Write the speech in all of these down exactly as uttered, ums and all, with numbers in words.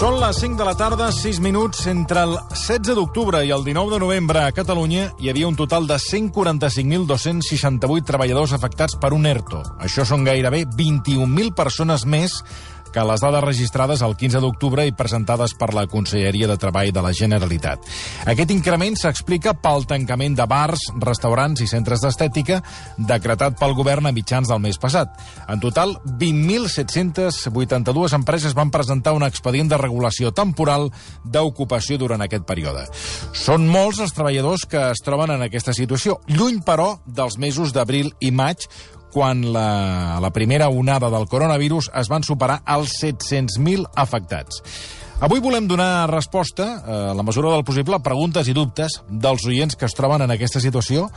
Són les cinc de la tarda, sis minuts. Entre el setze d'octubre i el dinou de novembre a Catalunya hi havia un total de cent quaranta-cinc mil dos-cents seixanta-vuit treballadors afectats per un ERTO. Això són gairebé vint-i-un mil persones més que les dades registrades el quinze d'octubre i presentades per la Conselleria de Treball de la Generalitat. Aquest increment s'explica pel tancament de bars, restaurants i centres d'estètica decretat pel govern a mitjans del mes passat. En total, vint mil set-cents vuitanta-dues empreses van presentar un expedient de regulació temporal d'ocupació durant aquest període. Són molts els treballadors que es troben en aquesta situació, lluny, però, dels mesos d'abril i maig, quan la, la primera onada del coronavirus es van superar els set-cents mil afectats. Avui volem donar resposta, a la mesura del possible, a preguntes i dubtes dels oients que es troben en aquesta situació,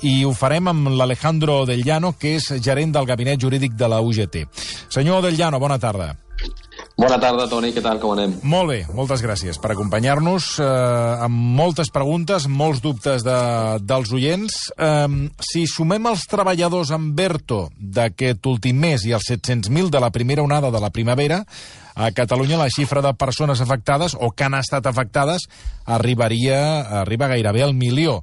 i ho farem amb l'Alejandro Del Llano, que és gerent del gabinet jurídic de la U G T. Senyor Del Llano, bona tarda. Bona tarda, Toni. Què tal? Com anem? Molt bé, moltes gràcies per acompanyar-nos eh, amb moltes preguntes, molts dubtes de, dels oients. Eh, si sumem els treballadors amb ERTO d'aquest últim mes i els set-cents mil de la primera onada de la primavera, a Catalunya la xifra de persones afectades o que han estat afectades arribaria arriba gairebé al milió.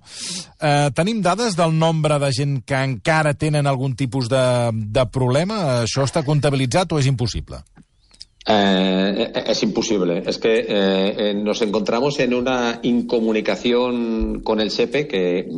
Eh, tenim dades del nombre de gent que encara tenen algun tipus de, de problema? Això està comptabilitzat o és impossible? Eh, es imposible. Es que eh, nos encontramos en una incomunicación con el SEPE que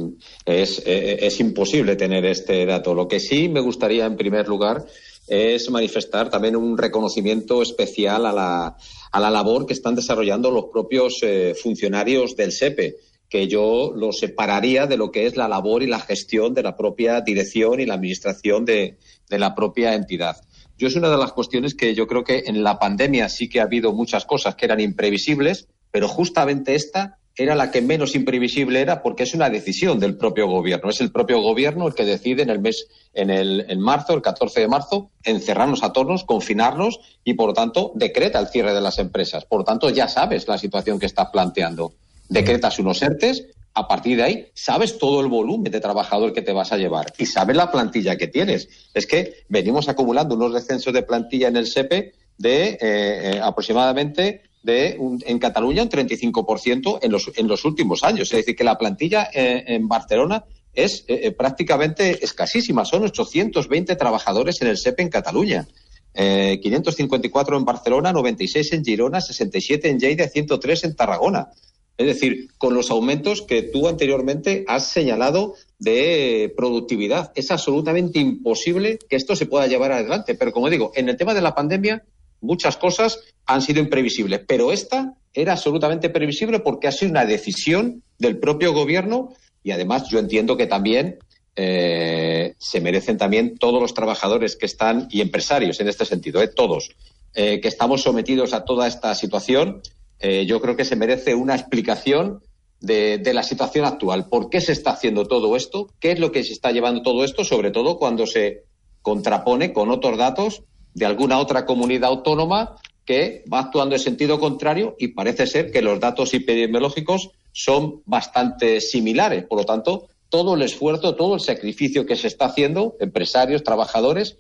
es, eh, es imposible tener este dato. Lo que sí me gustaría, en primer lugar, es manifestar también un reconocimiento especial a la, a la labor que están desarrollando los propios eh, funcionarios del SEPE, que yo lo separaría de lo que es la labor y la gestión de la propia dirección y la administración de, de la propia entidad. Yo es una de las cuestiones que yo creo que en la pandemia sí que ha habido muchas cosas que eran imprevisibles, pero justamente esta era la que menos imprevisible era porque es una decisión del propio gobierno. Es el propio gobierno el que decide en el mes, en el en marzo, el catorce de marzo, encerrarnos a todos, confinarnos y, por lo tanto, decreta el cierre de las empresas. Por lo tanto, ya sabes la situación que estás planteando. Decretas unos ERTES. A partir de ahí, sabes todo el volumen de trabajador que te vas a llevar y sabes la plantilla que tienes. Es que venimos acumulando unos descensos de plantilla en el SEPE de eh, eh, aproximadamente de un, en Cataluña un treinta y cinco por ciento en los, en los últimos años. Es decir, que la plantilla eh, en Barcelona es eh, prácticamente escasísima. Son ochocientos veinte trabajadores en el SEPE en Cataluña. Eh, quinientos cincuenta y cuatro en Barcelona, noventa y seis en Girona, sesenta y siete en Lleida, ciento tres en Tarragona. Es decir, con los aumentos que tú anteriormente has señalado de productividad. Es absolutamente imposible que esto se pueda llevar adelante. Pero, como digo, en el tema de la pandemia, muchas cosas han sido imprevisibles. Pero esta era absolutamente previsible porque ha sido una decisión del propio gobierno y, además, yo entiendo que también eh, se merecen también todos los trabajadores que están, y empresarios en este sentido, eh, todos, eh, que estamos sometidos a toda esta situación. Eh, yo creo que se merece una explicación de, de la situación actual. ¿Por qué se está haciendo todo esto? ¿Qué es lo que se está llevando todo esto? Sobre todo cuando se contrapone con otros datos de alguna otra comunidad autónoma que va actuando en sentido contrario y parece ser que los datos epidemiológicos son bastante similares. Por lo tanto, todo el esfuerzo, todo el sacrificio que se está haciendo, empresarios, trabajadores,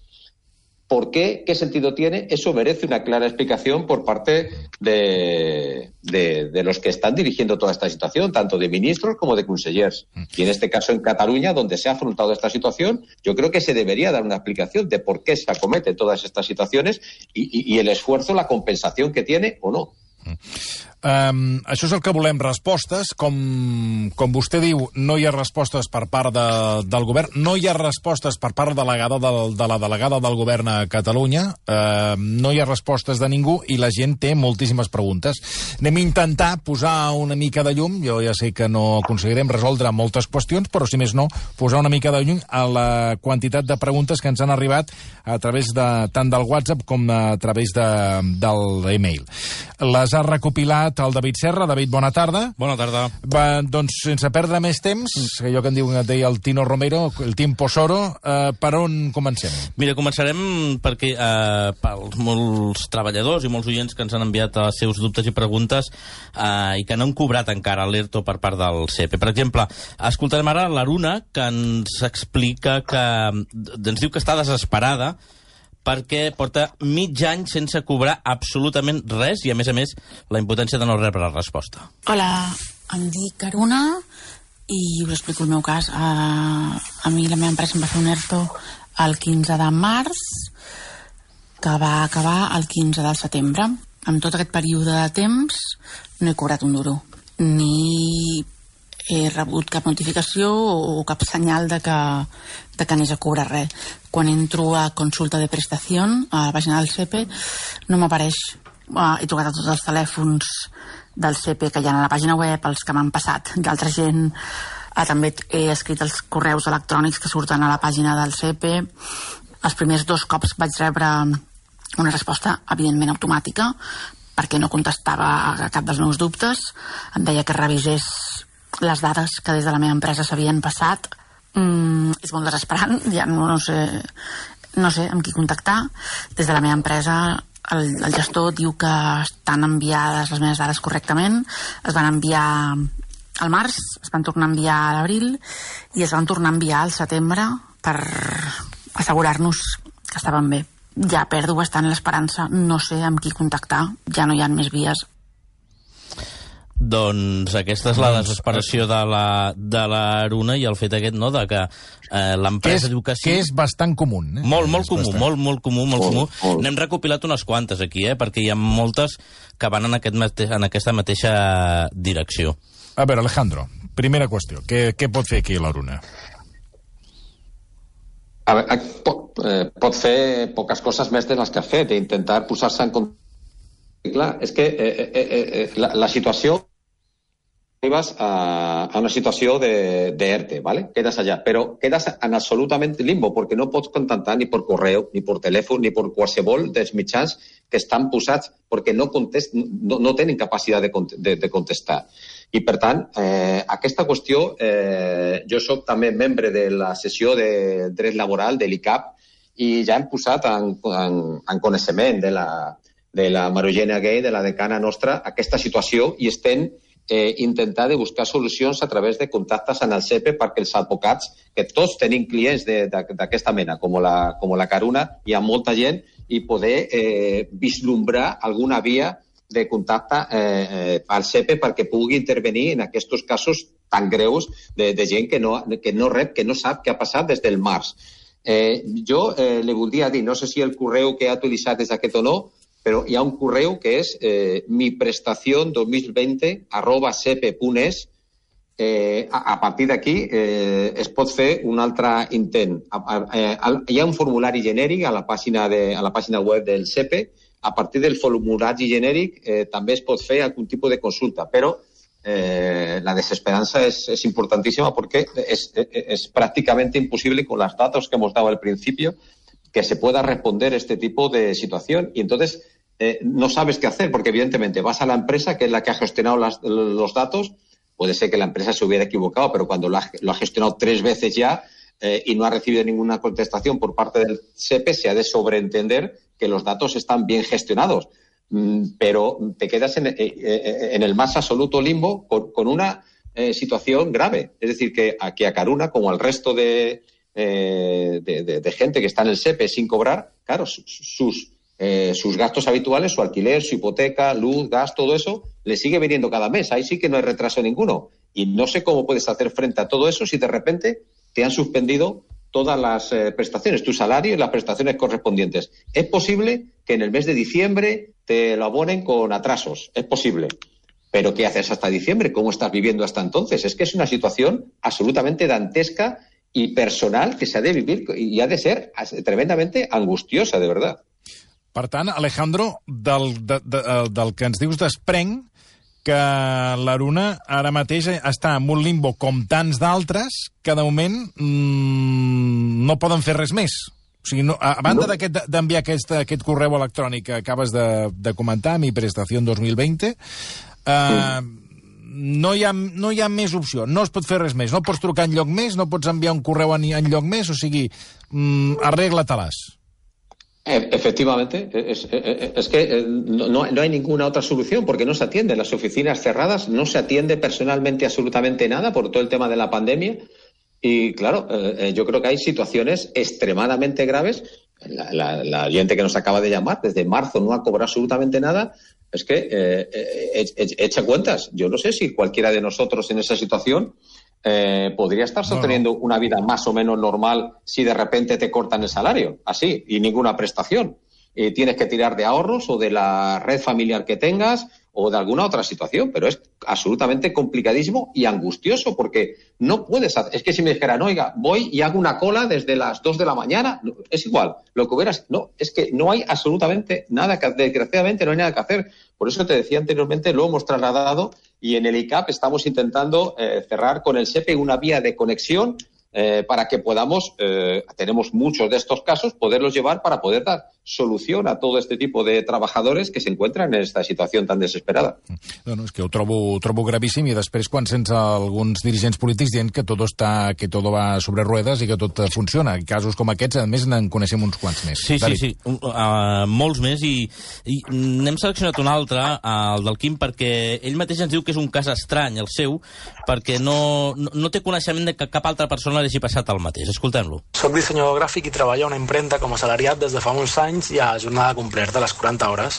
¿por qué? ¿Qué sentido tiene? Eso merece una clara explicación por parte de, de, de los que están dirigiendo toda esta situación, tanto de ministros como de consellers. Y en este caso en Cataluña, donde se ha afrontado esta situación, yo creo que se debería dar una explicación de por qué se acometen todas estas situaciones y, y, y el esfuerzo, la compensación que tiene o no. Um, això és el que volem, respostes. Com, com vostè diu, no hi ha respostes per part de, del govern, no hi ha respostes per part delegada del, de la delegada del govern a Catalunya, uh, no hi ha respostes de ningú i la gent té moltíssimes preguntes. Anem a intentar posar una mica de llum, jo ja sé que no aconseguirem resoldre moltes qüestions, però si més no, posar una mica de llum a la quantitat de preguntes que ens han arribat a través de, tant del WhatsApp com a través de, del e-mail. Les ha recopilat el David Serra. David, bona tarda. Bona tarda. Va, doncs, sense perdre més temps, que allò que en diu, que deia el Tino Romero, el Timpo Soro, eh, per on comencem? Mira, començarem perquè eh, pels molts treballadors i molts oients que ens han enviat els seus dubtes i preguntes eh, i que no han cobrat encara l'ERTO per part del SEPE. Per exemple, escoltarem ara l'Aruna, que ens explica que ens diu que està desesperada perquè porta mig any sense cobrar absolutament res i, a més a més, la impotència de no rebre la resposta. Hola, em dic Aruna i us explico el meu cas. Uh, a mi la meva empresa em va fer un ERTO el quinze de març, que va acabar el quinze de setembre. En tot aquest període de temps no he cobrat un duro, ni he rebut cap notificació o cap senyal de que, de que anés a cobrar res. Quan entro a consulta de prestació a la pàgina del S E P E no m'apareix. Uh, he trucat a tots els telèfons del S E P E que hi ha a la pàgina web, els que m'han passat d'altra gent. Uh, també he escrit els correus electrònics que surten a la pàgina del S E P E. Els primers dos cops vaig rebre una resposta evidentment automàtica perquè no contestava a cap dels meus dubtes. Em deia que revisés les dades que des de la meva empresa s'havien passat. Mm, és molt desesperant, ja no, no sé no sé amb qui contactar. Des de la meva empresa el, el gestor diu que estan enviades les meves dades correctament. Es van enviar al març, es van tornar a enviar a l'abril i es van tornar a enviar al setembre per assegurar-nos que estaven bé. Ja perdo bastant l'esperança, no sé amb qui contactar, ja no hi ha més vies. Doncs aquesta és la desesperació de la, de l'Aruna i el fet aquest, no?, de que eh, l'empresa diu que sí. Que és bastant comú. Eh? Molt, molt és comú, bastant. molt, molt comú, molt Molt, comú. molt. N'hem recopilat unes quantes aquí, eh, perquè hi ha moltes que van en, aquest mate en aquesta mateixa direcció. A veure, Alejandro, primera qüestió. Què, què pot fer aquí l'Aruna? A veure, pot, eh, pot fer poques coses més de les que ha fet, intentar posar-se en compte. Clar, és que eh, eh, eh, la, la situació arribes a, a una situació de, de ERTE, ¿vale? Quedas allà, però quedas en absolutament limbo, perquè no pots contactar ni per correu, ni per telèfon, ni per qualsevol dels mitjans que estan posats, perquè no, contest, no, no tenen capacitat de, de, de contestar. I, per tant, eh, aquesta qüestió, eh, jo soc també membre de la sessió de dret laboral de l'I C A P i ja hem posat en, en, en coneixement de la, de la Marogènia Gay, de la decana nostra, aquesta situació i estem eh, intentant de buscar solucions a través de contactes en el S E P E perquè els advocats, que tots tenim clients d'aquesta mena, com la, com la Caruna, hi ha molta gent, i poder eh, vislumbrar alguna via de contacte eh, eh, al S E P E perquè pugui intervenir en aquests casos tan greus de, de gent que no, que no rep, que no sap què ha passat des del març. Eh, jo eh, li voldria dir, no sé si el correu que ha utilitzat és aquest o no, però hi ha un correu que és eh, miprestación dos mil veinte arroba sepe punt es. Eh, a, a partir d'aquí eh, es pot fer un altre intent. A, a, a, hi ha un formulari genèric a la pàgina, de, a la pàgina web del S E P E. A partir del formulari genèric eh, també es pot fer algun tipus de consulta, però eh, la desesperanza es, es importantísima porque es, es, es prácticamente imposible con los datos que hemos dado al principio que se pueda responder este tipo de situación y entonces eh, no sabes qué hacer porque evidentemente vas a la empresa que es la que ha gestionado las, los datos, puede ser que la empresa se hubiera equivocado, pero cuando lo ha, lo ha gestionado tres veces ya eh, y no ha recibido ninguna contestación por parte del S E P E, se ha de sobreentender que los datos están bien gestionados, mm, pero te quedas en, eh, en el más absoluto limbo con, con una eh, situación grave. Es decir, que aquí a Caruna, como al resto de, eh, de, de, de gente que está en el S E P E sin cobrar, claro, sus, eh, sus gastos habituales, su alquiler, su hipoteca, luz, gas, todo eso, le sigue viniendo cada mes. Ahí sí que no hay retraso ninguno. Y no sé cómo puedes hacer frente a todo eso si de repente te han suspendido todas las eh, prestaciones, tu salario y las prestaciones correspondientes. Es posible que en el mes de diciembre te lo abonen con atrasos, es posible. Pero ¿qué haces hasta diciembre? ¿Cómo estás viviendo hasta entonces? Es que es una situación absolutamente dantesca y personal que se ha de vivir y ha de ser tremendamente angustiosa, de verdad. Per tant, Alejandro, del, de, de, del que ens dius desprenc que l'Aruna ara mateix està en un limbo com tants d'altres que de moment mmm, no poden fer res més. O sigui, no, a banda no. d'enviar aquest, aquest correu electrònic que acabes de, de comentar, mi prestació dos mil veinte, eh, no, hi ha, no hi ha més opció, no es pot fer res més, no pots trucar enlloc més, no pots enviar un correu enlloc més, o sigui, mm, arregla-te-les. Efectivamente, es, es, es que no, no hay ninguna otra solución porque no se atiende. Las oficinas cerradas, no se atiende personalmente absolutamente nada por todo el tema de la pandemia. Y claro, eh, yo creo que hay situaciones extremadamente graves la, la, la gente que nos acaba de llamar, desde marzo no ha cobrado absolutamente nada, es que eh, eh, echa cuentas. Yo no sé si cualquiera de nosotros en esa situación eh, podría estar sosteniendo no, no. una vida más o menos normal si de repente te cortan el salario, así, y ninguna prestación. Eh, tienes que tirar de ahorros o de la red familiar que tengas o de alguna otra situación, pero es absolutamente complicadísimo y angustioso porque no puedes hacer... Es que si me dijeran, oiga, voy y hago una cola desde las dos de la mañana, es igual, lo que hubieras... No, es que no hay absolutamente nada que... Desgraciadamente no hay nada que hacer. Por eso te decía anteriormente, lo hemos trasladado y en el I C A P estamos intentando eh, cerrar con el SEPE una vía de conexión eh, para que podamos, eh, tenemos muchos de estos casos, poderlos llevar para poder dar solució a tot este tipus de treballadors que s'encuentren en aquesta situació tan desesperada. No, no, és que ho trobo, ho trobo gravíssim i després quan sents alguns dirigents polítics dient que tot està, que tot va sobre ruedas i que tot funciona. Casos com aquests, a més, n'en coneixem uns quants més. Sí, David. sí, sí, uh, molts més i, i n'hem seleccionat un altre, uh, el del Quim, perquè ell mateix ens diu que és un cas estrany, el seu, perquè no, no, no té coneixement de que cap altra persona li hagi passat el mateix. Escoltem-lo. Soc dissenyador gràfic i treballo a una impremta com a assalariat des de fa molts anys i a jornada completa, a les quaranta hores.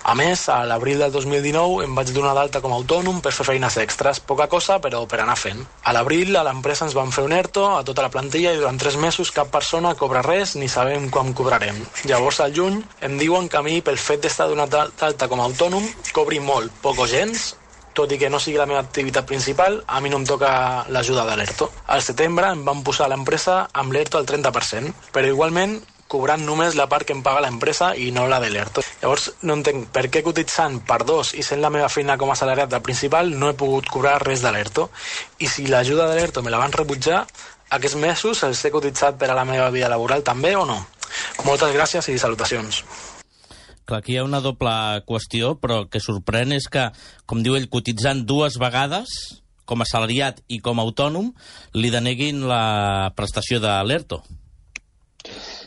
A més, a l'abril del dos mil dinou em vaig donar d'alta com a autònom per fer feines extres, poca cosa, però per anar fent. A l'abril a l'empresa ens van fer un ERTO a tota la plantilla i durant tres mesos cap persona cobra res ni sabem quan cobrarem. Llavors, al juny, em diuen que a mi, pel fet d'estar donat d'alta com a autònom, cobri molt, poc o gens, tot i que no sigui la meva activitat principal, a mi no em toca l'ajuda de l'ERTO. Al setembre em van posar a l'empresa amb l'ERTO al trenta per cent, però igualment cobrant només la part que em paga l'empresa i no la de l'ERTO. Llavors, no entenc per què cotitzant per dos i sent la meva feina com a assalariat del principal no he pogut cobrar res de l'ERTO. I si l'ajuda de l'ERTO me la van rebutjar, aquests mesos els he cotitzat per a la meva vida laboral també o no? Moltes gràcies i salutacions. Clar, aquí hi ha una doble qüestió, però que sorprèn és que, com diu ell, cotitzant dues vegades, com a assalariat i com a autònom, li deneguin la prestació de l'ERTO.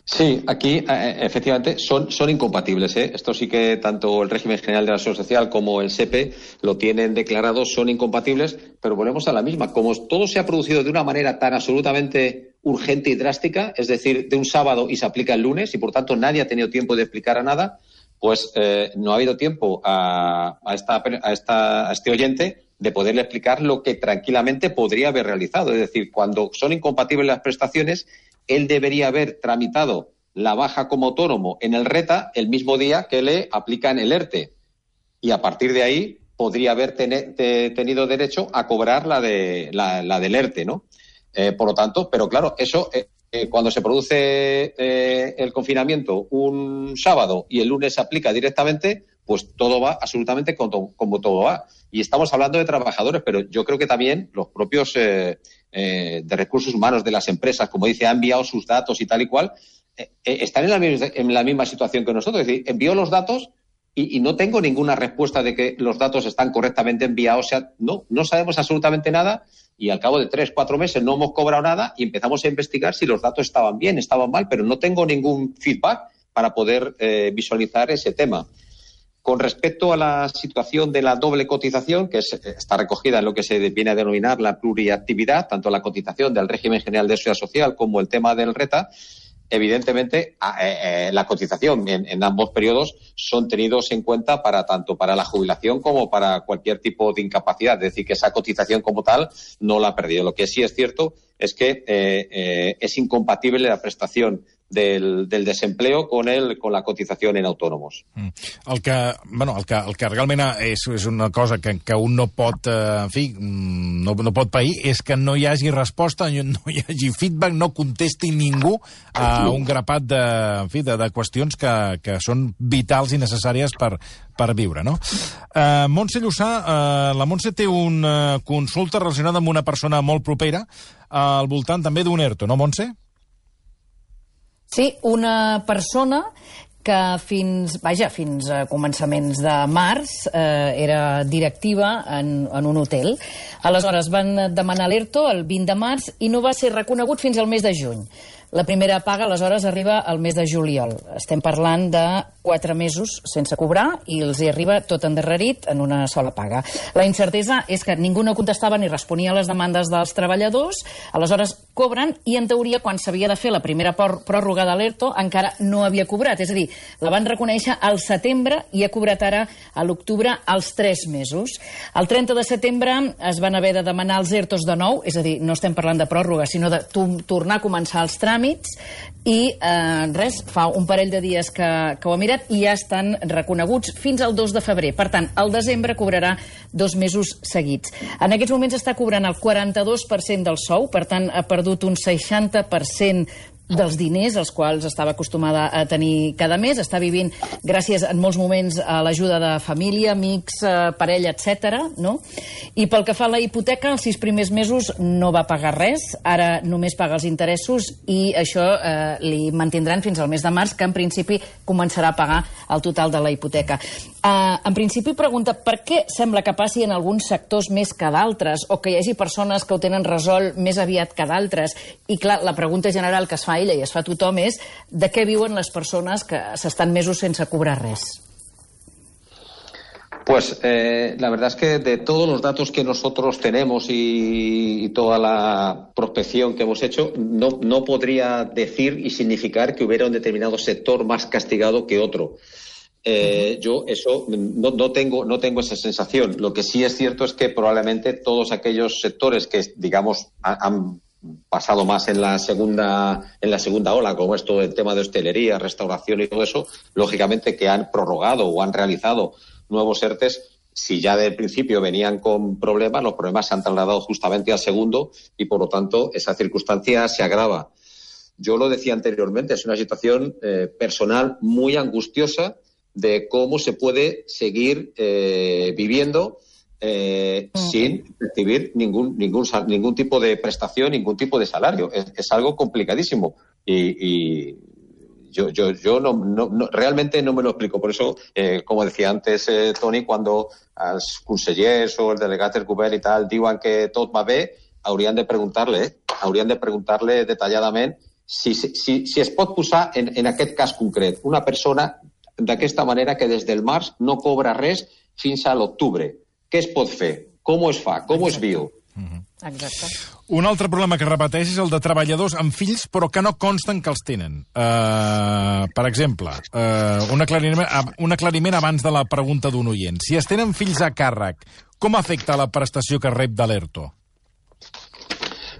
Sí, aquí eh, efectivamente son, son incompatibles. ¿eh? Esto sí que tanto el régimen general de la Seguridad Social como el SEPE lo tienen declarado, son incompatibles, pero volvemos a la misma. Como todo se ha producido de una manera tan absolutamente urgente y drástica, es decir, de un sábado y se aplica el lunes, y por tanto nadie ha tenido tiempo de explicar a nada, pues eh, no ha habido tiempo a, a, esta, a, esta, a este oyente de poderle explicar lo que tranquilamente podría haber realizado. Es decir, cuando son incompatibles las prestaciones, él debería haber tramitado la baja como autónomo en el RETA el mismo día que le aplican el ERTE. Y a partir de ahí podría haber ten- te- tenido derecho a cobrar la, de, la, la del ERTE, ¿no? Eh, por lo tanto, pero claro, eso eh, eh, cuando se produce eh, el confinamiento un sábado y el lunes se aplica directamente, pues todo va absolutamente como, como todo va. Y estamos hablando de trabajadores, pero yo creo que también los propios eh, eh, de recursos humanos de las empresas, como dice, han enviado sus datos y tal y cual, eh, eh, están en la, misma, en la misma situación que nosotros. Es decir, envío los datos y, y no tengo ninguna respuesta de que los datos están correctamente enviados. O sea, no, no sabemos absolutamente nada y al cabo de tres, cuatro meses no hemos cobrado nada y empezamos a investigar si los datos estaban bien, estaban mal, pero no tengo ningún feedback para poder eh, visualizar ese tema. Con respecto a la situación de la doble cotización, que es, está recogida en lo que se viene a denominar la pluriactividad, tanto la cotización del régimen general de seguridad social como el tema del RETA, evidentemente eh, eh, la cotización en, en ambos periodos son tenidos en cuenta para tanto para la jubilación como para cualquier tipo de incapacidad. Es decir, que esa cotización como tal no la ha perdido. Lo que sí es cierto es que eh, eh, es incompatible la prestación del, del desempleo con el, con la cotización en autònoms. Mm. El que, bueno, el que, el que realment és, és una cosa que, que un no pot, eh, en fi, no, no pot pair, és que no hi hagi resposta, no hi hagi feedback, no contesti ningú a un grapat de, en fi, de, de qüestions que, que són vitals i necessàries per, per viure, no? Uh, Montse Llussà, uh, la Montse té una consulta relacionada amb una persona molt propera uh, al voltant també d'un ERTO, no, Montse? Sí, una persona que fins, vaja, fins a començaments de març eh, era directiva en, en un hotel. Aleshores van demanar l'ERTO el vint de març i no va ser reconegut fins al mes de juny. La primera paga, aleshores, arriba al mes de juliol. Estem parlant de quatre mesos sense cobrar i els hi arriba tot endarrerit en una sola paga. La incertesa és que ningú no contestava ni responia a les demandes dels treballadors. Aleshores, cobren, i en teoria quan s'havia de fer la primera pròrroga de l'ERTO encara no havia cobrat, és a dir, la van reconèixer al setembre i ha cobrat ara a l'octubre els tres mesos. El trenta de setembre es van haver de demanar els ERTOs de nou, és a dir, no estem parlant de pròrroga, sinó de tornar a començar els tràmits, i eh, res, fa un parell de dies que, que ho ha mirat i ja estan reconeguts fins al dos de febrer. Per tant, al desembre cobrarà dos mesos seguits. En aquests moments està cobrant el quaranta-dos per cent del sou, per tant, ha perdut un seixanta per cent dels diners als quals estava acostumada a tenir cada mes. Està vivint, gràcies en molts moments, a l'ajuda de família, amics, parella, etcètera, no? I pel que fa a la hipoteca, els sis primers mesos no va pagar res, ara només paga els interessos, i això eh, li mantindran fins al mes de març, que en principi començarà a pagar el total de la hipoteca. Eh, en principi pregunta per què sembla que passi en alguns sectors més que d'altres, o que hi hagi persones que ho tenen resolt més aviat que d'altres. I clar, la pregunta general que es fa ella i es fa tothom és de què viuen les persones que s'estan mesos sense cobrar res. Pues eh, la verdad es que de todos los datos que nosotros tenemos y, y toda la prospección que hemos hecho, no, no podría decir y significar que hubiera un determinado sector más castigado que otro. Eh, yo eso no, no tengo no tengo esa sensación. Lo que sí es cierto es que probablemente todos aquellos sectores que, digamos, han pasado más en la segunda en la segunda ola, como esto el tema de hostelería, restauración y todo eso, lógicamente que han prorrogado o han realizado nuevos ERTES, si ya del principio venían con problemas, los problemas se han trasladado justamente al segundo y por lo tanto esa circunstancia se agrava. Yo lo decía anteriormente, es una situación eh, personal muy angustiosa de cómo se puede seguir eh, viviendo Eh, uh-huh. sin recibir ningún ningún ningún tipo de prestación, ningún tipo de salario. Es, es algo complicadísimo y, y yo yo yo no, no, no realmente no me lo explico. Por eso, eh, como decía antes eh, Toni, cuando els consellers o el delegat del govern i tal diuen que tot va bé, haurien de preguntar-le, eh? haurien de preguntar-le detalladament si, si, si es pot posar en, en aquest cas concret una persona d'aquesta manera que des del març no cobra res fins a l'octubre. Què es pot fer? Com es fa? Com es viu? Exacte. Un altre problema que repeteix és el de treballadors amb fills però que no consten que els tenen. Uh, per exemple, uh, un, aclariment, un aclariment abans de la pregunta d'un oient. Si es tenen fills a càrrec, com afecta la prestació que rep de l'ERTO?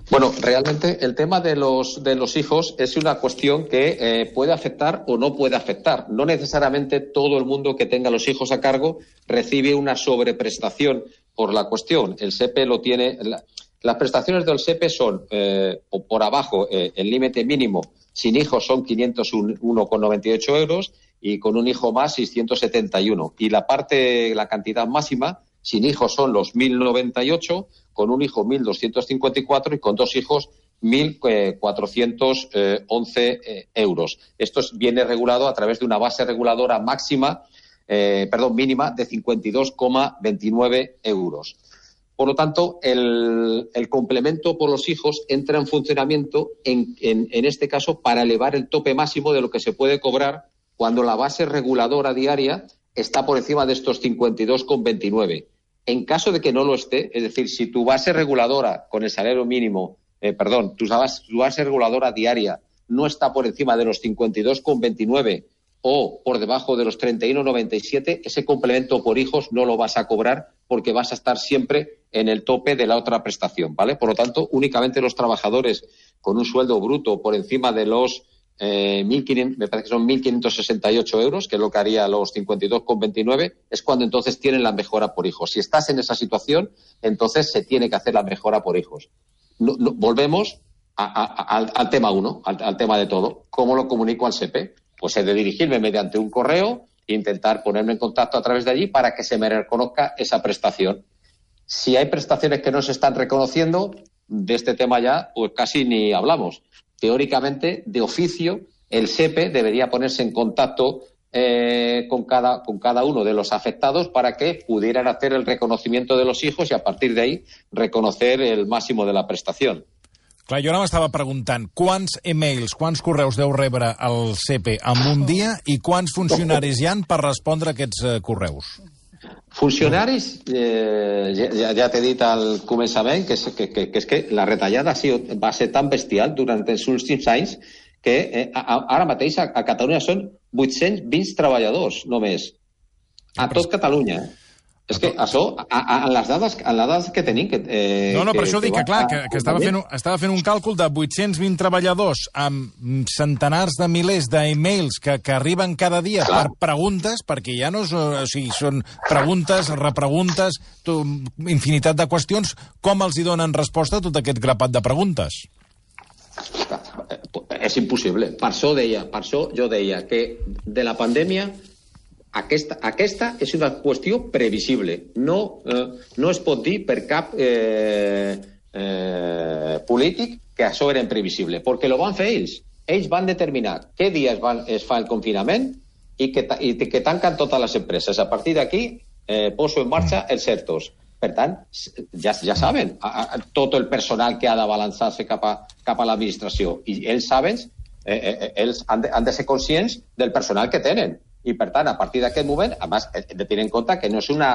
Bueno, realmente el tema de los de los hijos es una cuestión que eh, puede afectar o no puede afectar. No necesariamente todo el mundo que tenga los hijos a cargo recibe una sobreprestación por la cuestión. El S E P E lo tiene. La, las prestaciones del S E P E son eh, por, por abajo eh, el límite mínimo sin hijos son quinientos uno con noventa y ocho euros y con un hijo más seiscientos setenta y uno. Y la parte, la cantidad máxima sin hijos son los mil noventa y ocho, con un hijo mil doscientos cincuenta y cuatro y con dos hijos mil cuatrocientos once eh, euros. Esto viene regulado a través de una base reguladora máxima, eh, perdón, mínima de cincuenta y dos coma veintinueve euros. Por lo tanto, el, el complemento por los hijos entra en funcionamiento, en, en, en este caso, para elevar el tope máximo de lo que se puede cobrar cuando la base reguladora diaria está por encima de estos cincuenta y dos coma veintinueve. En caso de que no lo esté, es decir, si tu base reguladora con el salario mínimo, eh, perdón, tu base, tu base reguladora diaria no está por encima de los cincuenta y dos coma veintinueve o por debajo de los treinta y uno coma noventa y siete, ese complemento por hijos no lo vas a cobrar porque vas a estar siempre en el tope de la otra prestación, ¿vale? Por lo tanto, únicamente los trabajadores con un sueldo bruto por encima de los Eh, mil quinientos, me parece que son mil quinientos sesenta y ocho euros, que es lo que haría los cincuenta y dos coma veintinueve, es cuando entonces tienen la mejora por hijos. Si estás en esa situación, entonces se tiene que hacer la mejora por hijos. No, no, volvemos a, a, al, al tema uno, al, al tema de todo. ¿Cómo lo comunico al S E P E? Pues he de dirigirme mediante un correo e intentar ponerme en contacto a través de allí para que se me reconozca esa prestación. Si hay prestaciones que no se están reconociendo, de este tema ya pues casi ni hablamos. Teóricamente, de oficio, el S E P E debería ponerse en contacto eh, con, cada, con cada uno de los afectados para que pudieran hacer el reconocimiento de los hijos y a partir de ahí reconocer el máximo de la prestación. Clar, jo ara m'estava preguntant quants e-mails, quants correus deu rebre el S E P E en un dia i quants funcionaris hi han per respondre a aquests eh, correus? Funcionaris, eh, ja, ja t'he dit al començament que, que, que, que és que la retallada ha sigut, va ser tan bestial durant els últims anys que eh, ara mateix a, a Catalunya són vuit-cents vint treballadors només. A tot Catalunya. És que això, a, a, a les dades, a les dades que tenim... Que, eh, no, no, per que, això dic que, que clar, va, que, que estava, fent, estava fent un càlcul de vuit-cents vint treballadors amb centenars de milers d'e-mails que, que arriben cada dia clar. Per preguntes, perquè ja no és, o sigui, són preguntes, repreguntes, to, infinitat de qüestions. Com els hi donen resposta a tot aquest grapat de preguntes? És impossible. Per això deia, per això jo deia que de la pandèmia Aquesta, aquesta és una qüestió previsible. No, eh, no es pot dir per cap eh, eh, polític que això era imprevisible, perquè ho van fer ells. Ells van determinar què dia es, van, es fa el confinament i que, i que tanquen totes les empreses. A partir d'aquí eh, poso en marxa els ERTOs. Per tant, ja, ja saben a, a, tot el personal que ha de balançar-se cap a, cap a l'administració. I ells saben, eh, eh, ells han de, han de ser conscients del personal que tenen. I, per tant, a partir d'aquest moment, a més, hem de tenir en compte que no és una,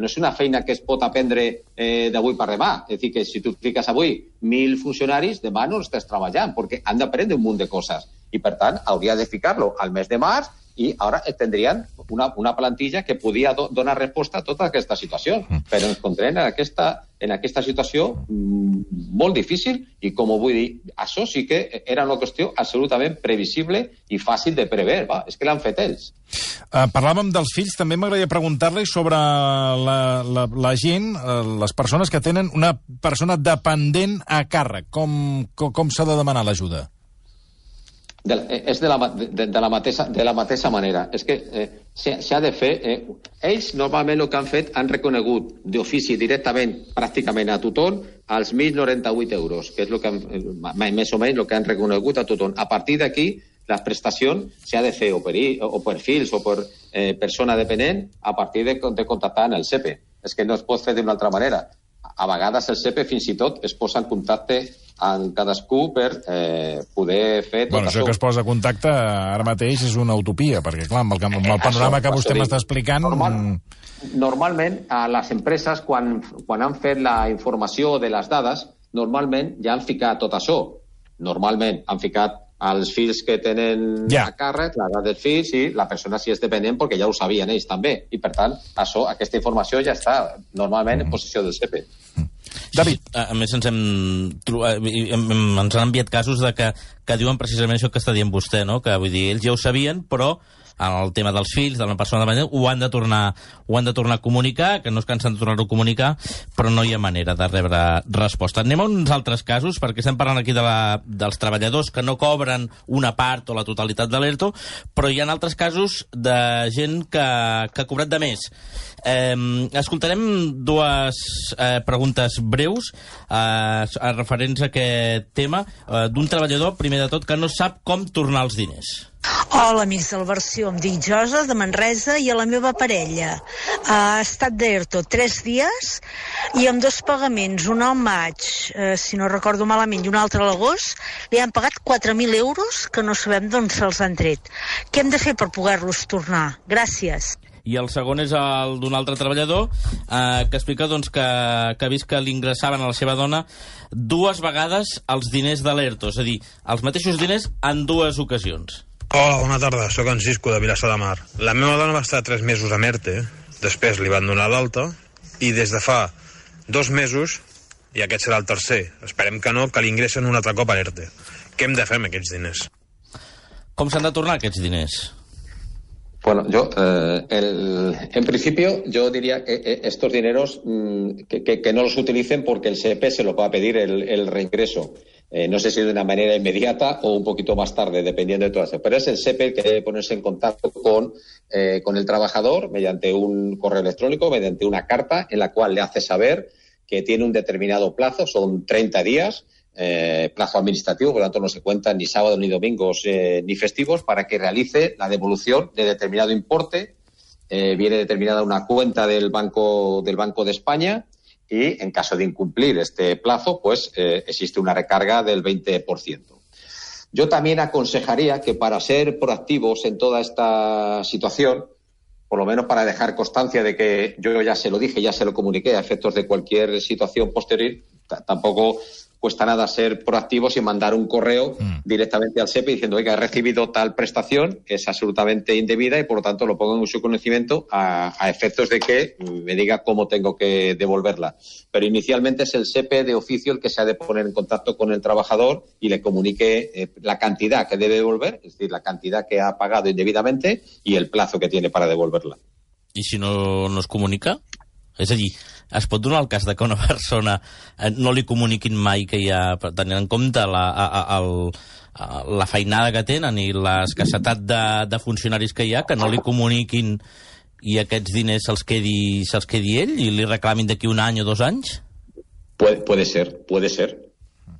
no és una feina que es pot aprendre eh, d'avui per demà. És a dir, que si tu fiques avui mil funcionaris, demà no estàs treballant, perquè han d'aprendre un munt de coses. I, per tant, hauria de ficar-lo al mes de març i ara tindrien una, una plantilla que podia do, donar resposta a tota aquesta situació. Però ens encontrem en aquesta, en aquesta situació mmm, molt difícil i, com ho vull dir, això sí que era una qüestió absolutament previsible i fàcil de prever. Va? És que l'han fet ells. Uh, parlàvem dels fills, també m'agradaria preguntar-li sobre la, la, la gent, uh, les persones que tenen una persona dependent a càrrec. Com, com, com s'ha de demanar l'ajuda? De, és de la, de, de, la mateixa, de la mateixa manera. És que eh, s'ha de fer... Eh, ells normalment el que han fet han reconegut d'ofici directament pràcticament a tothom els mil noranta-vuit euros, que és lo que han, més o menys el que han reconegut a tothom. A partir d'aquí, la prestació s'ha de fer o per, o per fills o per eh, persona dependent a partir de, de contactar en el S E P E. És que no es pot fer d'una altra manera. A vegades el S E P E fins i tot es posa en contacte amb cadascú per eh, poder fer tot bueno, això. Això que es posa en contacte ara mateix és una utopia, perquè clar, amb el, amb el panorama que vostè m'està explicant... Normal, normalment, a les empreses, quan, quan han fet la informació de les dades, normalment ja han ficat tot això. Normalment han ficat els fills que tenen ja. a càrrec, l'edat dels fills i la persona si és dependent, perquè ja ho sabien ells també. I, per tant, això, aquesta informació ja està normalment mm. en possessió del S E P E. Mm. David. Sí, a més, ens, hem, ens han enviat casos de que, que diuen precisament això que està dient vostè, no? Que vull dir, ells ja ho sabien, però el tema dels fills, de la persona dependent, ho han de tornar, ho han de tornar a comunicar, que no es cansen de tornar-ho a comunicar, però no hi ha manera de rebre resposta. Anem a uns altres casos, perquè estem parlant aquí de la, dels treballadors que no cobren una part o la totalitat de l'ERTO, però hi ha altres casos de gent que, que ha cobrat de més. Eh, escoltarem dues eh, preguntes breus eh, referents a aquest tema eh, d'un treballador, primer de tot, que no sap com tornar els diners. Hola, amics del Versió. Em dic Josa, de Manresa, i a la meva parella ha estat d'ERTO tres dies i amb dos pagaments, un al maig, eh, si no recordo malament, i un altre a l'agost, li han pagat quatre mil euros que no sabem d'on se'ls han tret. Què hem de fer per poder-los tornar? Gràcies. I el segon és el d'un altre treballador eh, que explica doncs, que, que ha vist que li ingressaven a la seva dona dues vegades els diners de l'ERTO, és a dir, els mateixos diners en dues ocasions. Hola, bona tarda, sóc en Cisco de Vilassar de Mar. La meva dona va estar tres mesos amb ERTE, després li van donar l'alta, i des de fa dos mesos, i aquest serà el tercer, esperem que no, que li ingressen un altre cop a l'ERTE. Què hem de fer amb aquests diners? Com s'han de tornar aquests diners? Bueno, yo, eh, el, en principio, yo diría que eh, estos dineros mmm, que, que, que no los utilicen porque el S E P E se los va a pedir el, el reingreso. Eh, no sé si de una manera inmediata o un poquito más tarde, dependiendo de todo eso. Pero es el S E P E el que debe ponerse en contacto con, eh, con el trabajador mediante un correo electrónico, mediante una carta en la cual le hace saber que tiene un determinado plazo, son treinta días, Eh, plazo administrativo, por lo tanto no se cuentan ni sábados, ni domingos, eh, ni festivos, para que realice la devolución de determinado importe. Eh, viene determinada una cuenta del Banco, del Banco de España y, en caso de incumplir este plazo, pues eh, existe una recarga del veinte por ciento. Yo también aconsejaría que, para ser proactivos en toda esta situación, por lo menos para dejar constancia de que yo ya se lo dije, ya se lo comuniqué a efectos de cualquier situación posterior, t- tampoco cuesta nada ser proactivos y mandar un correo mm. directamente al SEPE diciendo, oiga, he recibido tal prestación, es absolutamente indebida y por lo tanto lo pongo en su conocimiento a, a efectos de que me diga cómo tengo que devolverla. Pero inicialmente es el SEPE de oficio el que se ha de poner en contacto con el trabajador y le comunique eh, la cantidad que debe devolver, es decir, la cantidad que ha pagado indebidamente y el plazo que tiene para devolverla. I si no, no es comunica? És a dir, es pot donar el cas de que una persona no li comuniquin mai que hi ha, tenint en compte la, a, a, el, a, la feinada que tenen i l'escassetat de, de funcionaris que hi ha, que no li comuniquin i aquests diners se'ls quedi, se'ls quedi ell i li reclamin d'aquí un any o dos anys? Puede, puede ser, puede ser.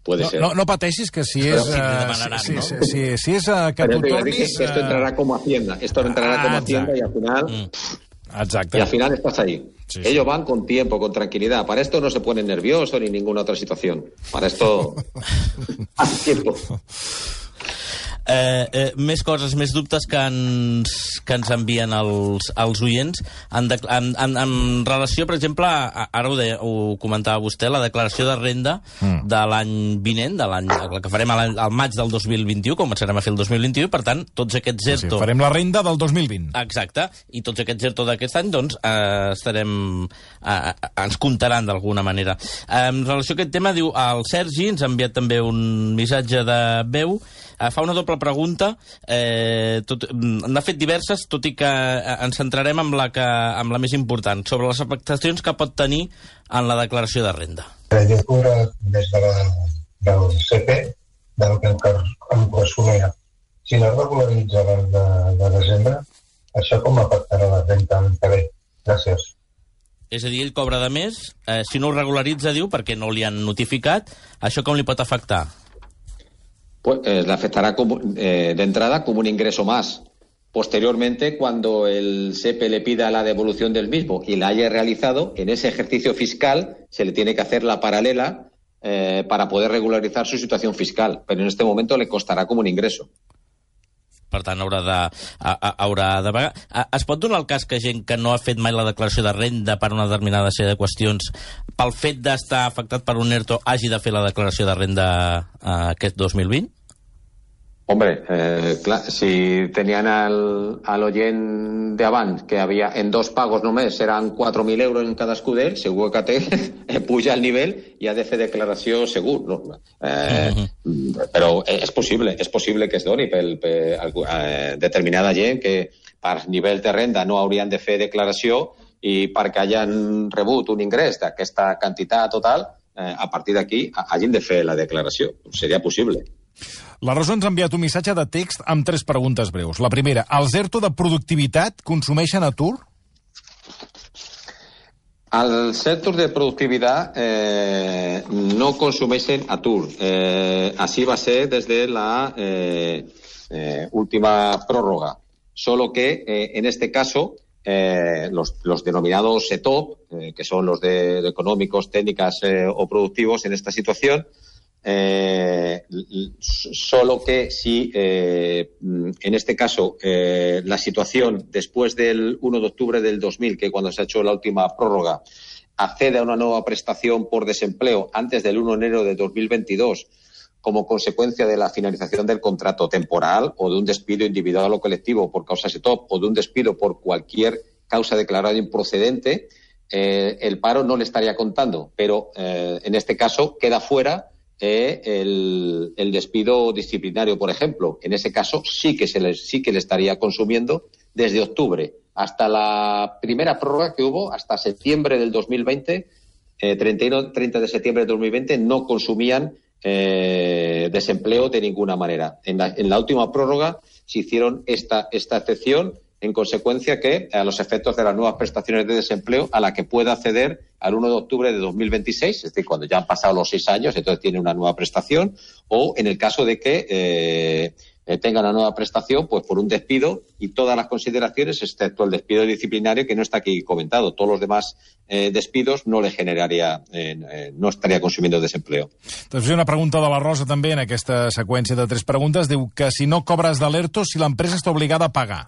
Puede no, ser. No, no pateixis que si és... Uh, si, si, si, si, si és uh, que tu tornis... Que esto entrará como Hacienda. Esto entrará ah, como Hacienda y al final... Mm. Exacte. Y al final estás ahí. Sí, Ellos sí. van con tiempo, con tranquilidad. Para esto no se ponen nerviosos ni ninguna otra situación. Para esto... hace tiempo. Eh, eh, més coses, més dubtes que ens, que ens envien els, els oients en, de, en, en, en relació, per exemple, a, ara ho, de, ho comentava vostè, la declaració de renda mm. de l'any vinent, de l'any que farem al, al maig del dos mil vint-i-u, començarem a fer el dos mil vint-i-u, i per tant, tots aquests ERTO... Sí, farem la renda del dos mil vint. Exacte, i tots aquests ERTO d'aquest any, doncs, eh, estarem... Eh, ens comptaran d'alguna manera. Eh, en relació a aquest tema, diu, el Sergi ens ha enviat també un missatge de veu. Uh, fa una doble pregunta, eh, tot, n'ha fet diverses, tot i que ens centrarem amb la, que, amb la més important, sobre les afectacions que pot tenir en la declaració de renda. Jo he cobrat des de la, del SEPE, del que em corresponia. Si no regularitza abans de, de desembre, això com afectarà la renta l'any que ve? Gràcies. És a dir, ell cobra de més, eh, si no ho regularitza, diu, perquè no li han notificat, això com li pot afectar? Pues eh, le afectará como, eh, de entrada como un ingreso más. Posteriormente, cuando el SEPE le pida la devolución del mismo y la haya realizado, en ese ejercicio fiscal se le tiene que hacer la paralela eh, para poder regularizar su situación fiscal. Pero en este momento le costará como un ingreso. Per tant, haurà de, a, a, haurà de pagar. Es pot donar el cas que gent que no ha fet mai la declaració de renda per una determinada sèrie de qüestions, pel fet d'estar afectat per un ERTO, hagi de fer la declaració de renda eh, aquest dos mil vint? Hombre, eh, clar, si tenían al, al oient de abans que había en dos pagos només eran cuatro mil euros en cada escuder, segur que té, puja el nivell i ha de fer declaració segur. No? Eh, uh-huh. Però és possible, és possible que es doni per, per eh, determinada gent que per nivell de renda no haurien de fer declaració i perquè hagin rebut un ingrés d'aquesta quantitat total, eh, a partir d'aquí hagin de fer la declaració. Seria possible. La Rosa ens ha enviat un missatge de text amb tres preguntes breus. La primera, els ERTO de productivitat consumeixen atur? Els ERTO de productivitat eh, no consumeixen atur. Eh, així va ser des de la eh, eh, última pròrroga. Solo que eh, en este caso eh, los, los denominados E T O P, eh, que son los de, de económicos, técnicas eh, o productivos en esta situación, Eh, solo que si eh, en este caso eh, la situación después del uno de octubre del dos mil, que cuando se ha hecho la última prórroga, accede a una nueva prestación por desempleo antes del uno de enero de dos mil veintidós como consecuencia de la finalización del contrato temporal o de un despido individual o colectivo por causas E T O P o de un despido por cualquier causa declarada improcedente, eh, el paro no le estaría contando, pero eh, en este caso queda fuera Eh, el, el despido disciplinario, por ejemplo. En ese caso sí que se le, sí que le estaría consumiendo desde octubre hasta la primera prórroga que hubo, hasta septiembre del dos mil veinte, eh, treinta y uno, treinta de septiembre del dos mil veinte, no consumían eh, desempleo de ninguna manera. En la, en la última prórroga se hicieron esta, esta excepción, en consecuencia que a los efectos de las nuevas prestaciones de desempleo a la que pueda acceder al uno de octubre de dos mil veintiséis, es decir, cuando ya han pasado los seis años, entonces tiene una nueva prestación, o en el caso de que eh, tenga una nueva prestación, pues por un despido y todas las consideraciones, excepto el despido disciplinario que no está aquí comentado. Todos los demás eh, despidos no le generaria, eh, eh, no estaria consumiendo desempleo. Doncs una pregunta de la Rosa també en aquesta seqüència de tres preguntes. Diu que si no cobres de l'ERTO, si l'empresa està obligada a pagar.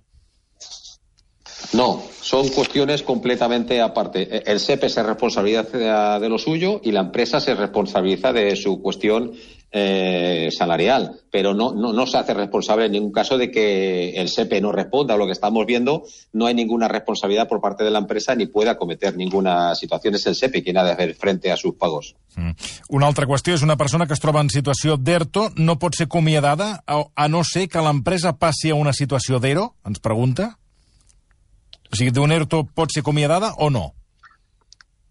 No, son cuestiones completamente aparte. El S E P E se responsabiliza de lo suyo y la empresa se responsabiliza de su cuestión eh, salarial, pero no, no, no se hace responsable en ningún caso de que el S E P E no responda. Lo que estamos viendo, no hay ninguna responsabilidad por parte de la empresa ni puede acometer ninguna situación. És el S E P E quien ha de fer frente a sus pagos. Mm. Una altra qüestió és una persona que es troba en situació d'ERTO no pot ser acomiadada a, a no ser que l'empresa passi a una situació d'ERO, ens pregunta. O sigui, de un ERTO pot ser acomiadada o no?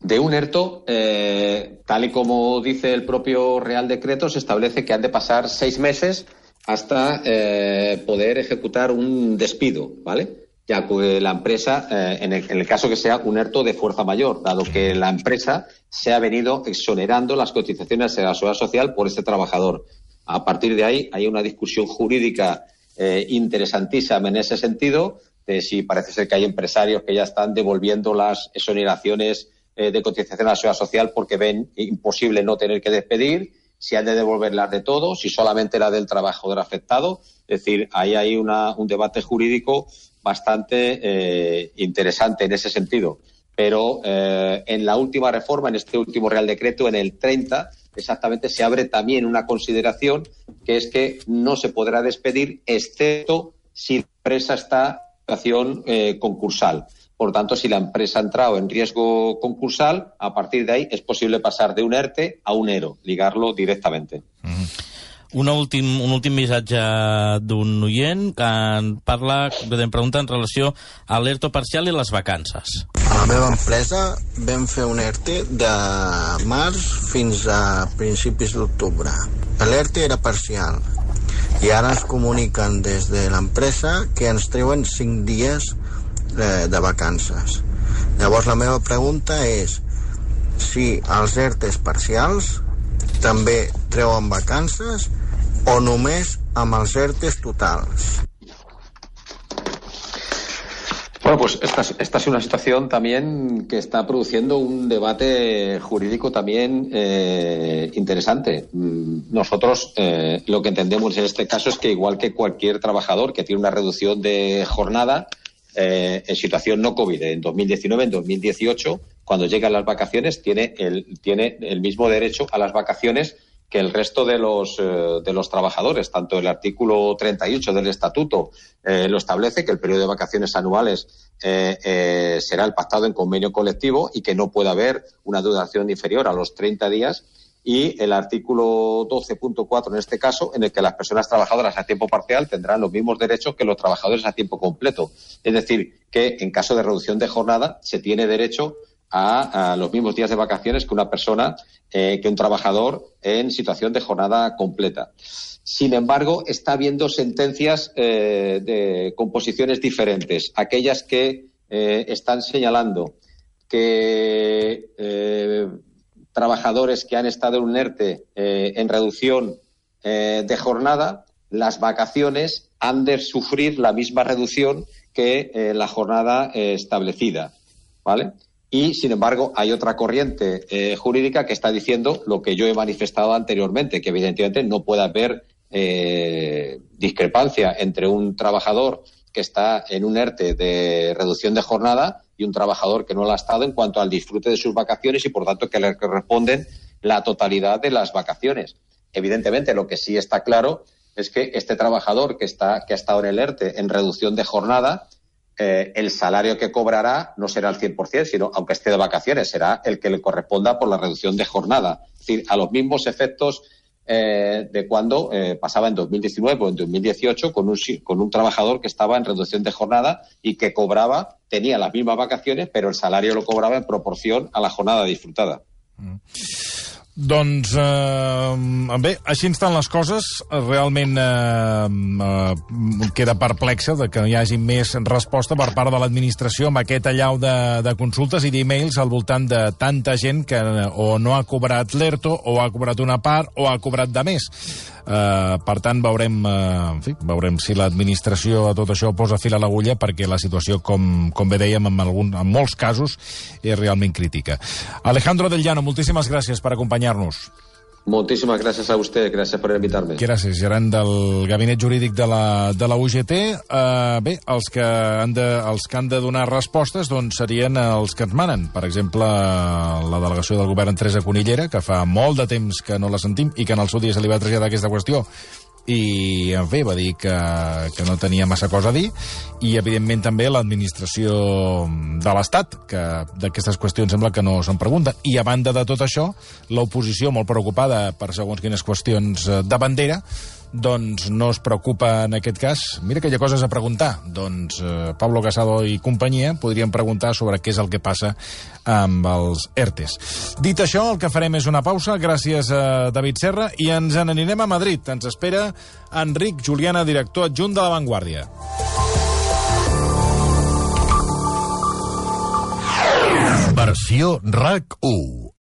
De un ERTO, eh, tal y como dice el propio Real Decreto, se establece que han de pasar seis meses hasta eh, poder ejecutar un despido, ¿vale? Ya que la empresa, eh, en, el, en el caso que sea un ERTO de fuerza mayor, dado que la empresa se ha venido exonerando las cotizaciones de la seguridad social por este trabajador. A partir de ahí hay una discusión jurídica eh, interesantísima en ese sentido, de si parece ser que hay empresarios que ya están devolviendo las exoneraciones eh, de cotización a la seguridad social porque ven imposible no tener que despedir, si han de devolverlas de todo, si solamente la del trabajador afectado. Es decir, ahí hay una, un debate jurídico bastante eh, interesante en ese sentido. Pero eh, en la última reforma, en este último Real Decreto, en el treinta, exactamente se abre también una consideración que es que no se podrá despedir excepto si la empresa está en situación eh, concursal. Por tanto, si la empresa ha entrado en riesgo concursal, a partir de ahí es posible pasar de un ERTE a un ERO, ligarlo directamente. Mm-hmm. Una últim, un últim missatge d'un oient que en parla, que em pregunta en relació a l'ERTO parcial i les vacances. A la meva empresa vam fer un ERTE de març fins a principis d'octubre. L'ERTE era parcial i ara ens comuniquen des de l'empresa que ens treuen cinc dies de vacances. Llavors la meva pregunta és si els ERTEs parcials també treuen vacances o només amb els ERTEs totals. Bueno, pues esta, esta es una situación también que está produciendo un debate jurídico también eh, interesante. Nosotros eh, lo que entendemos en este caso es que igual que cualquier trabajador que tiene una reducción de jornada, Eh, en situación no COVID, en dos mil diecinueve, en dos mil dieciocho, cuando llegan las vacaciones, tiene el, tiene el mismo derecho a las vacaciones que el resto de los, eh, de los trabajadores. Tanto el artículo treinta y ocho del Estatuto eh, lo establece, que el periodo de vacaciones anuales eh, eh, será el pactado en convenio colectivo y que no puede haber una duración inferior a los treinta días. Y el artículo doce punto cuatro, en este caso, en el que las personas trabajadoras a tiempo parcial tendrán los mismos derechos que los trabajadores a tiempo completo. Es decir, que en caso de reducción de jornada se tiene derecho a, a los mismos días de vacaciones que una persona, eh, que un trabajador en situación de jornada completa. Sin embargo, está habiendo sentencias eh, de composiciones diferentes. Aquellas que eh, están señalando que Eh, trabajadores que han estado en un ERTE eh, en reducción eh, de jornada, las vacaciones han de sufrir la misma reducción que eh, la jornada eh, establecida, ¿vale? Y, sin embargo, hay otra corriente eh, jurídica que está diciendo lo que yo he manifestado anteriormente, que evidentemente no puede haber eh, discrepancia entre un trabajador que está en un ERTE de reducción de jornada y un trabajador que no lo ha estado en cuanto al disfrute de sus vacaciones y, por tanto, que le corresponden la totalidad de las vacaciones. Evidentemente, lo que sí está claro es que este trabajador que está que ha estado en el ERTE en reducción de jornada, eh, el salario que cobrará no será el cien por ciento, sino, aunque esté de vacaciones, será el que le corresponda por la reducción de jornada. Es decir, a los mismos efectos Eh, de cuando eh, pasaba en dos mil diecinueve o en dos mil dieciocho con un, con un trabajador que estaba en reducción de jornada y que cobraba, tenía las mismas vacaciones, pero el salario lo cobraba en proporción a la jornada disfrutada. Mm. Doncs, eh, bé, així estan les coses. Realment eh, eh, queda perplexa de que no hi hagi més resposta per part de l'administració amb aquest allau de, de consultes i d'e-mails al voltant de tanta gent que o no ha cobrat l'ERTO, o ha cobrat una part, o ha cobrat de més. Eh, per tant, veurem, eh, en fi, veurem si l'administració a tot això posa fil a l'agulla, perquè la situació, com, com bé dèiem, en, algun, en molts casos és realment crítica. Alejandro Del Llano, moltíssimes gràcies per acompanyar-nos. Muchísimas gracias a usted, gracias por invitarme. Gràcies, gerent del Gabinet Jurídic de la, de la U G T. Uh, bé, els que, han de, els que han de donar respostes doncs, serien els que ens manen. Per exemple, la delegació del govern Teresa Cunillera, que fa molt de temps que no la sentim i que en el seu dia se li va traslladar aquesta qüestió i, en fi, va dir que, que no tenia massa cosa a dir, i, evidentment, també l'administració de l'Estat, que d'aquestes qüestions sembla que no se'n pregunta. I, a banda de tot això, l'oposició, molt preocupada per segons quines qüestions de bandera, doncs no es preocupa en aquest cas. Mira que hi ha coses a preguntar. Doncs eh, Pablo Casado i companyia podrien preguntar sobre què és el que passa amb els ERTEs. Dit això, el que farem és una pausa, gràcies a David Serra, i ens n'anirem a Madrid. Ens espera Enric Juliana, director adjunt de La Vanguardia. Versió R A C u.